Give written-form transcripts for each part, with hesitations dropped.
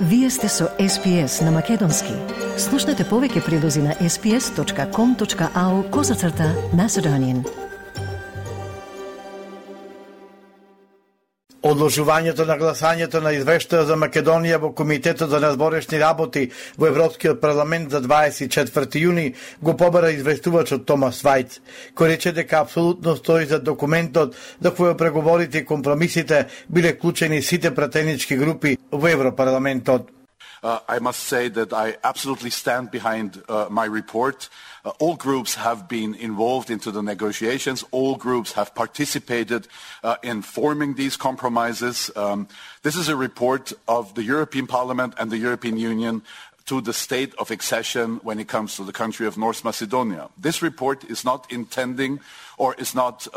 Вие сте со SPS на Македонски. Слушнете повеќе прилози на sps.com.au/Macedonian. Одложувањето на гласањето на извештаја за Македонија во Комитетот за надворешни работи во Европскиот парламент за 24 јуни го побара известувачот Томас Вајц, кој рече дека апсолутно стои за документот за кој преговорите и компромисите биле вклучени сите пратенички групи во Европарламентот. I must say that I absolutely stand behind my report. All groups have been involved into the negotiations. All groups have participated in forming these compromises. This is a report of the European Parliament and the European Union to the state of accession when it comes to the country of North Macedonia. This report is not intending or is not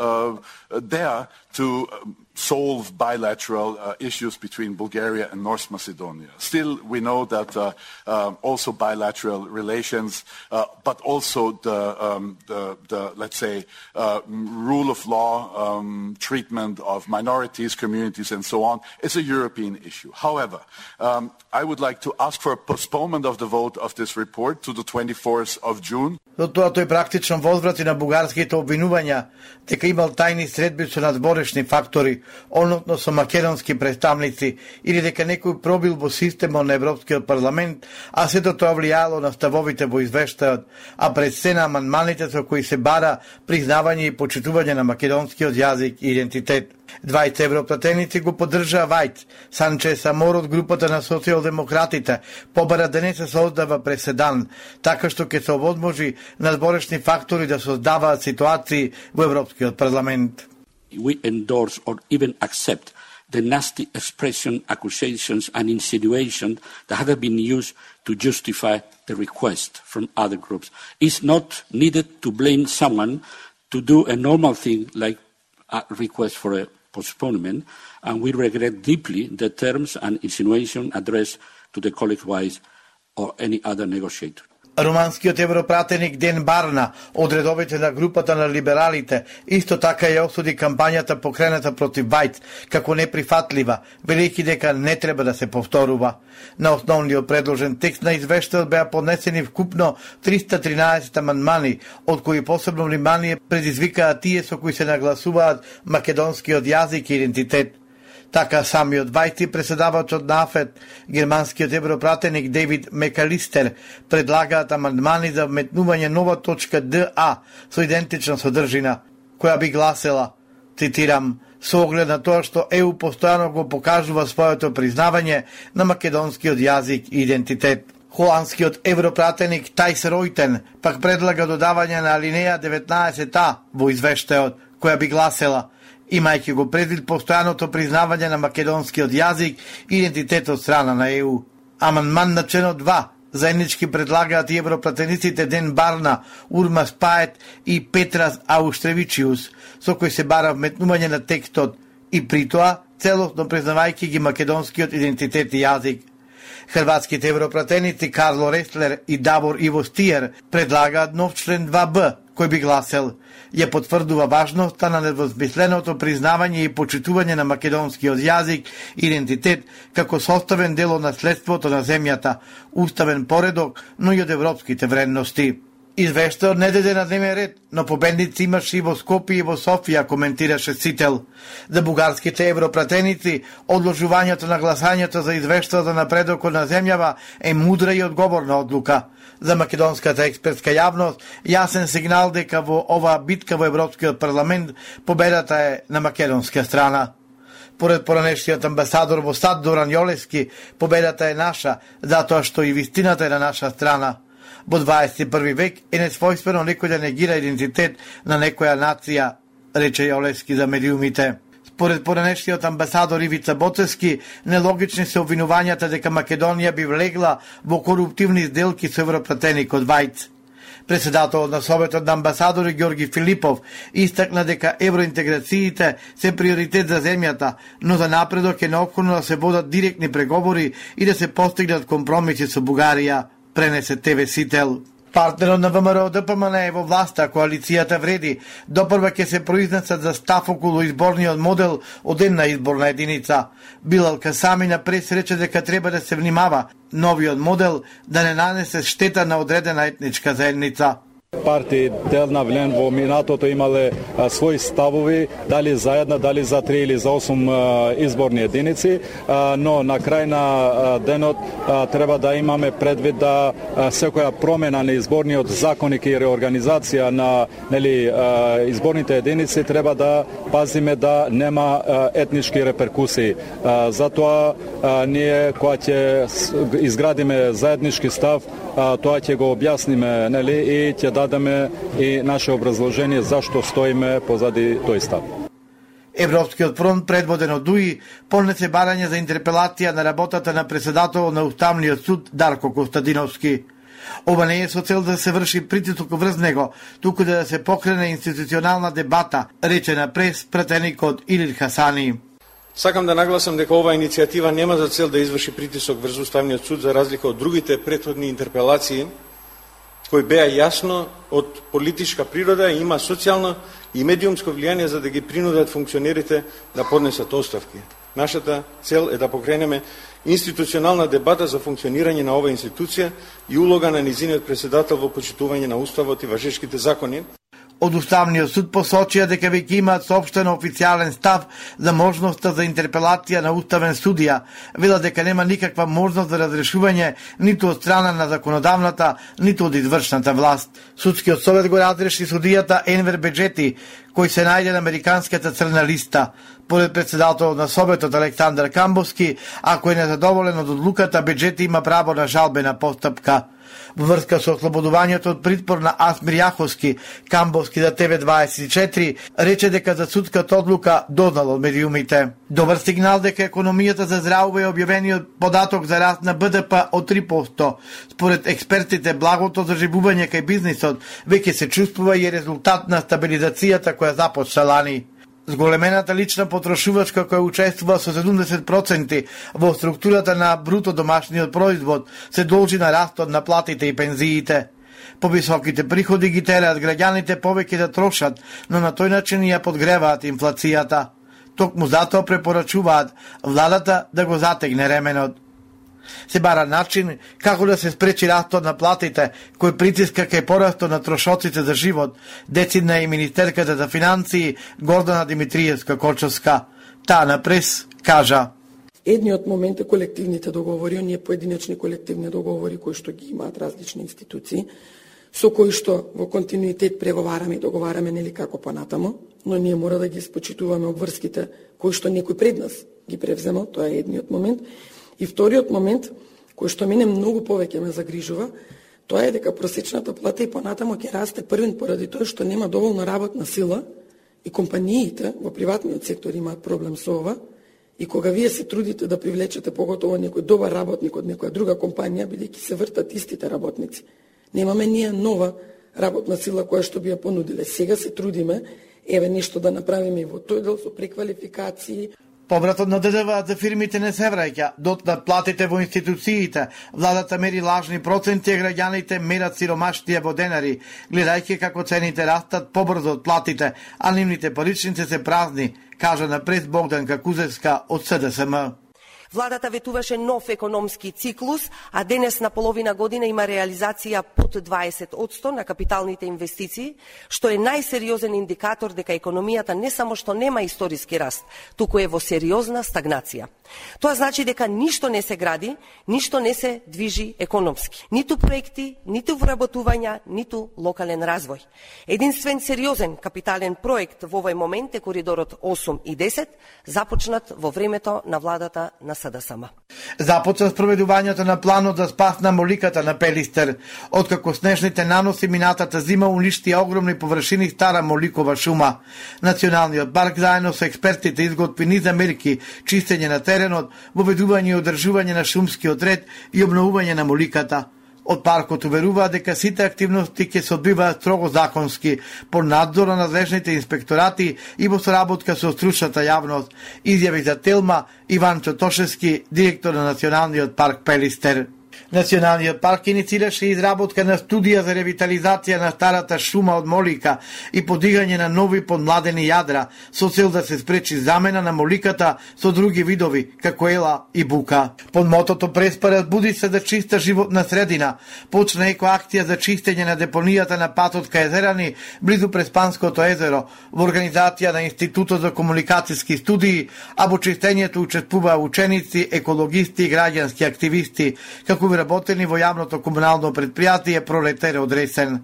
there to solve bilateral issues between Bulgaria and North Macedonia. Still, we know that also bilateral relations, but also the let's say, rule of law, treatment of minorities, communities, and so on, is a European issue. However, I would like to ask for a postponement of the vote of this report to the 24th of June. До тоа тој практично возврати на бугарските обвинувања дека имал тајни средби со надворешни фактори, односно со македонски представници, или дека некој пробил во системот на Европскиот парламент, а сето тоа влијало на ставовите во извештајот, а пред се на амандманите со кои се бара признавање и почитување на македонскиот јазик и идентитет. 20 европратеници го поддржаа Вајц. Санчес Амор од групата на социјалдемократите побара да не се создава преседан, така што ќе се овозможи надворешни фактори да создаваат ситуации во Европскиот парламент. We endorse or even accept the nasty expression, accusations and insinuations that have been used to justify the request from other groups. It's not needed to blame someone to do a normal thing like a request for a postponement, and we regret deeply the terms and insinuation addressed to the colleague Wise or any other negotiator. Руманскиот европратеник Ден Барна од редовите на групата на либералите исто така ја осуди кампањата покрената против Вајц како неприфатлива, велејќи дека не треба да се повторува. На основниот предложен текст на извештајот беа поднесени вкупно 313 амандмани, од кои посебно внимание предизвикаа тие со кои се нагласуваат македонскиот јазик и идентитет. Така самиот Вајц и преседавачот на АФЕТ, германскиот европратеник Дейвид Мекалистер, предлагаат амандмани за вметнување нова точка ДА со идентична содржина, која би гласела, цитирам, со оглед на тоа што ЕУ постојано го покажува своето признавање на македонскиот јазик и идентитет. Холандскиот европратеник Тајс Ройтен пак предлага додавање на алинеја 19А во извештајот, која би гласела, имајќи го предвид постојаното признавање на македонскиот јазик и идентитет од страна на ЕУ. Амандман на членот 2 заеднички предлагаат и европратениците Ден Барна, Урма Спает и Петрас Ауштревичиус, со кој се бара вметнување на текстот и при тоа целосно признавајќи ги македонскиот идентитет и јазик. Хрватските европратеници Карло Реслер и Давор Иво Стиер предлагаат нов член 2Б, кој би гласел, ја потврдува важноста на недвозмисленото признавање и почитување на македонскиот јазик и идентитет како составен дел од наследството на земјата, уставен поредок, но и од европските вредности. Извештајот не даде на дневен ред, но победници имаше и во Скопје и во Софија, коментираше Сител. За бугарските европратеници, одложувањето на гласањето за извештајот за напредокот на земјава е мудра и одговорна одлука. За македонската експертска јавност, јасен сигнал дека во оваа битка во Европскиот парламент победата е на македонска страна. Поред поранешниот амбасадор во САД Доран Јолевски, победата е наша, затоа што и вистината е на наша страна. Во 21 век е несвојствено некој да негира идентитет на некоја нација, рече Јолевски за медиумите. Според поранешниот амбасадор Ивица Боцевски, нелогични се обвинувањата дека Македонија би влегла во коруптивни сделки со европратеникот Вајц. Председателот на Советот на амбасадори Ѓорги Филипов истакна дека евроинтеграциите се приоритет за земјата, но за напредок е неопходно да се водат директни преговори и да се постигнат компромиси со Бугарија, пренесе ТВ Сител. Партнерот на ВМРО ДПМН е во власта, коалицијата вреди. Допрва ќе се произнесат за став околу изборниот модел од една изборна единица. Билал Касами на прес рече дека треба да се внимава новиот модел да не нанесе штета на одредена етничка заедница. Партии Делна Влен во минатото имале своји ставови, дали за една, дали за 3 или за 8 изборни единици, но на крај на денот треба да имаме предвид да секоја промена на изборниот законник и реорганизација на изборните единици треба да пазиме да нема етнички реперкусии. Затоа ние кога ќе изградиме заеднички став, тоа ќе го објасниме, и ќе дадеме и наше образложение зашто стоиме позади тој став. Европскиот фронт, предводен од ДУИ, понесе барање за интерпелација на работата на председател на Уставниот суд Дарко Костадиновски. Ова не е со цел да се врши притисок врз него, туку да се покрене институционална дебата, рече на прес пратеникот Илир Хасани. Сакам да нагласам дека оваа иницијатива нема за цел да изврши притисок врз Уставниот суд за разлика од другите претходни интерпелации, кои беа јасно од политичка природа и има социјално и медиумско влијание за да ги принудат функционерите да поднесат оставки. Нашата цел е да покренеме институционална дебата за функционирање на оваа институција и улога на низиниот председател во почитување на Уставот и важешките закони. Од Уставниот суд посочија дека веќе имаат соопштен официјален став за можноста за интерпелација на уставен судија. Вела дека нема никаква можност за разрешување ниту од страна на законодавната, ниту од извршната власт. Судскиот совет го разреши судијата Енвер Беџети, кој се најде на американската црна листа. Поред председателот на Советот Александар Камбовски, ако е незадоволен од одлуката, Беџети има право на жалбена постапка. Во врска со ослободувањето од притвор на Асмир Јаховски, Камбовски за ТВ24 рече дека за судската одлука дознал од медиумите. Добар сигнал дека економијата заздравува е објавениот податок за раст на БДП од 3%. Според експертите, благото заживување кај бизнисот веќе се чувствува и е резултат на стабилизацијата која започна лани. Зголемената лична потрошувачка која учествува со 70% во структурата на бруто домашниот производ се должи на растот на платите и пензиите. Повисоките приходи ги тераат граѓаните повеќе да трошат, но на тој начин ја подгреваат инфлацијата. Токму затоа препорачуваат владата да го затегне ременот. Се бара начин како да се спречи растот на платите, кој притиска кај порастот на трошоците за живот, децидна и министерката за финансии Гордана Димитриевска-Кочовска. Таа на прес кажа: Едниот момент е колективните договори, оние поединечни колективни договори кои што ги имаат различни институции, со кои што во континуитет преговараме и договараме како понатамо, но ние мора да ги испочитуваме обврските кои што некој пред нас ги превземал, тоа е едниот момент. И вториот момент, кој што мене многу повеќе ме загрижува, тоа е дека просечната плата и понатамо ќе расте првен поради тоа што нема доволно работна сила и компаниите во приватниот сектор имаат проблем со ова. И кога вие се трудите да привлечете поготово некој добар работник од некоја друга компанија, бидејќи се вртат истите работници, немаме ние нова работна сила која што би ја понудиле. Сега се трудиме, нешто да направиме и во тој дел со преквалификации. Повратот на ДДВ за фирмите не се враќа, дотнат платите во институциите, владата мери лажни проценти, граѓаните мерат сиромаштија во денари, гледајќи како цените растат побрзо од платите, а нивните паричници се празни, кажа на прес Богданка Кузевска од СДСМ. Владата ветуваше нов економски циклус, а денес на половина година има реализација под 20% на капиталните инвестиции, што е најсериозен индикатор дека економијата не само што нема историски раст, туку е во сериозна стагнација. Тоа значи дека ништо не се гради, ништо не се движи економски. Ниту проекти, ниту вработувања, ниту локален развој. Единствен сериозен капитален проект во овој момент е коридорот 8 и 10, започнат во времето на владата на СДСМ. Започна спроведувањето на планот за спас на моликата на Пелистер. Откако снежните наноси минатата зима уништи огромни површини стара моликова шума. Националниот парк заедно со експертите изготви низ мерки, чистење на теренот, воведување и одржување на шумскиот ред и обновување на моликата. Од паркот уверуваат дека сите активности ќе се одбиваат строго законски, под надзор на надлежните инспекторати и во соработка со стручната јавност, изјави за Телма Иван Чотошевски, директор на Националниот парк Пелистер. Националниот парк иницираше изработка на студија за ревитализација на старата шума од молика и подигање на нови подмладени јадра со цел да се спречи замена на моликата со други видови, како ела и бука. Под мотото Преспа буди се за чиста животна средина, почна екоакција за чистење на депонијата на патот кај Езерани, близу Преспанското езеро, во организација на Институтот за комуникацијски студии, а во чистењето учествуваа ученици, екологисти и граѓански активисти, како би работени во јавното комунално предпријатие Пролетаре од Ресен.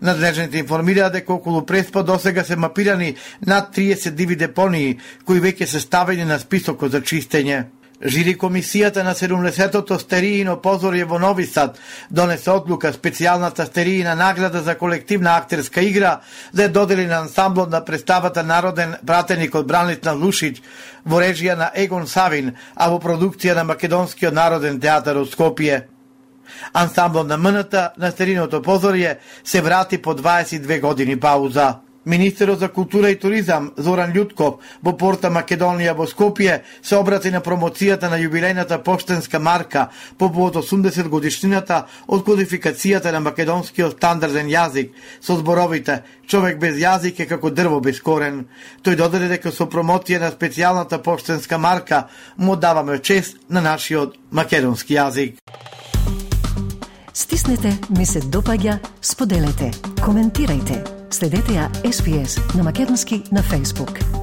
Надлежните информираат дека околу Преспа досега се мапирани над 30 диви депонии, кои веќе се ставени на списокот за чистење. Жири комисијата на 70-тото стериино позорје во Нови Сад донесе одлука специјалната стериина награда за колективна актерска игра да ја додели на ансамблот на представата Народен пратеник од Бранислав Лушиќ во режија на Егон Савин, а во продукција на Македонскиот народен театар од Скопје. Ансамблот на МНТ на стериното позорје се врати по 22 години пауза. Министерот за култура и туризам Зоран Љутков во порта Македонија во Скопје се обрати на промоцијата на јубилејната поштенска марка по повод 80 годишнината од кодификацијата на македонскиот стандарден јазик со зборовите "Човек без јазик е како дрво без корен". Тој додаде дека со промоција на специјалната поштенска марка му даваме чест на нашиот македонски јазик. Стиснете, ми се допаѓа, споделете, коментирајте. Следете ја SPS на Македонски на Facebook.